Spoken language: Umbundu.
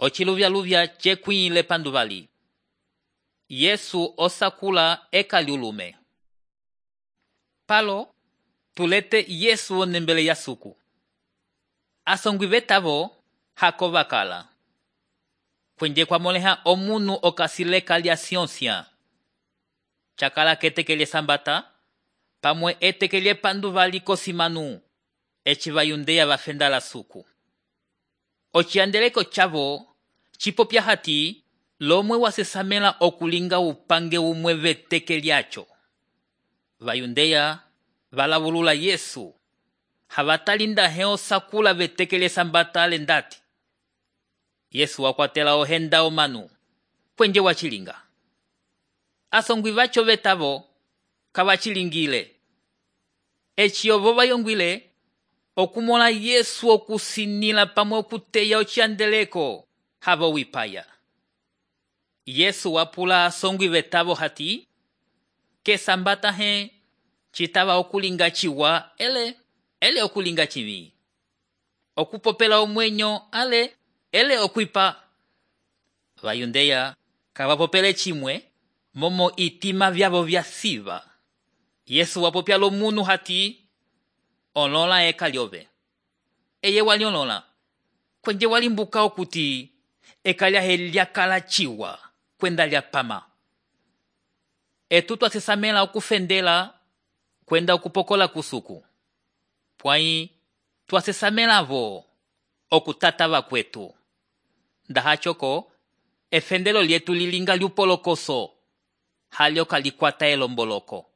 Ociluvyaluvya cekwĩle panduvali. Yesu osakula eka liulume. Palo tulete Yesu onembele ya suku. Asongwi vetavo hako vakala. Kwenje kwamoleha omunu okasileka lya sionsia. Chakala ketekelye sambata, pamwe etekelye panduvali kosimanu, eci vayundeya vafenda la suku. Ociandeleko chavo, chipopya hati, lomwe wasesamela okulinga upange umwe veteke lyacho. Vayundeya valavulula Yesu. Havatalinda heo sakula vetekele sambata alendati. Yesu wakwatela ohenda omanu. Kwenje wachilinga. Asongwi vacho vetavo kavachilingile. Eci ovo vayongwile okumola Yesu okusinila pamwe okuteya ociandeleko havo wipaya. Yesu wapula asongwi vetavo hati, ke sambata he citava okulinga ciwa ele okulinga civi. Okupopela omwenyo ele okwipa. Vayundeya kavapopele cimwe momo itima vyavo vya siva. Yesu wapopya lomunu hati, olola eka lyove. Eye waliolola. Kwenje walimbuka okuti eka lyahe lyakala ciwa kwenda lyapama. Etu twasesamela okufendela kwenda okupokola kusuku. Pwai twasesamela vo okutatava kwetu. Ndahachoko efendelo lyetu lilinga lyupolokoso halyo kalikwata elomboloko.